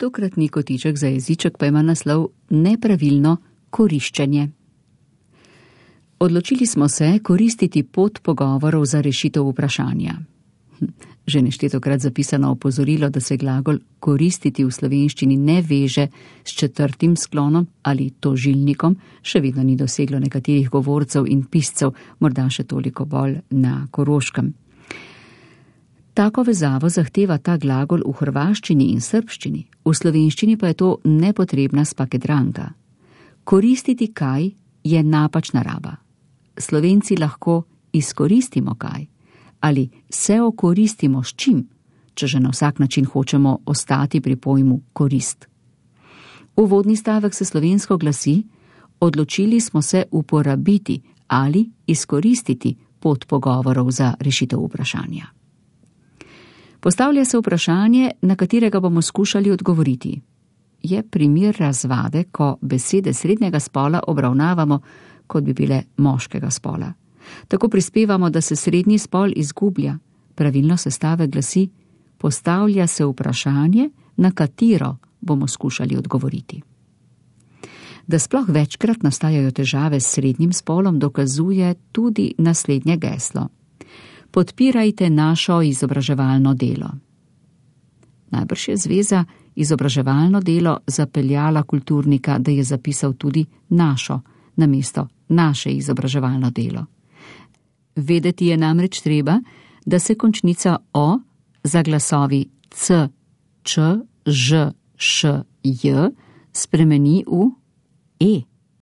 Tokratni kotiček za jeziček pa ima naslov Nepravilno koriščenje. Odločili smo se koristiti pot pogovorov za rešitev vprašanja. Že neštetokrat zapisano opozorilo, da se glagol koristiti v slovenščini ne veže s četrtim sklonom ali tožilnikom, še vedno ni doseglo nekaterih govorcev in piscev, morda še toliko bolj na Koroškem. Tako vezavo zahteva ta glagol v hrvaščini in srbščini, v slovenščini pa je to nepotrebna spakedranka. Koristiti kaj je napačna raba. Slovenci lahko izkoristimo kaj ali se okoristimo s čim, če že na vsak način hočemo ostati pri pojmu korist. Uvodni stavek se slovensko glasi: odločili smo se uporabiti ali izkoristiti pot pogovorov za rešitev vprašanja. Postavlja se vprašanje, na katerega bomo skušali odgovoriti. Je primer razvade, ko besede srednjega spola obravnavamo, kot bi bile moškega spola. Tako prispevamo, da se srednji spol izgublja. Pravilno sestavek glasi: postavlja se vprašanje, na katero bomo skušali odgovoriti. Da sploh večkrat nastajajo težave s srednjim spolom, dokazuje tudi naslednje geslo: podpirajte našo izobraževalno delo. Najbrž je zveza izobraževalno delo zapeljala kulturnika, da je zapisal tudi našo, namesto naše izobraževalno delo. Vedeti je namreč treba, da se končnica o za glasovi c, č, ž, š, j spremeni v e.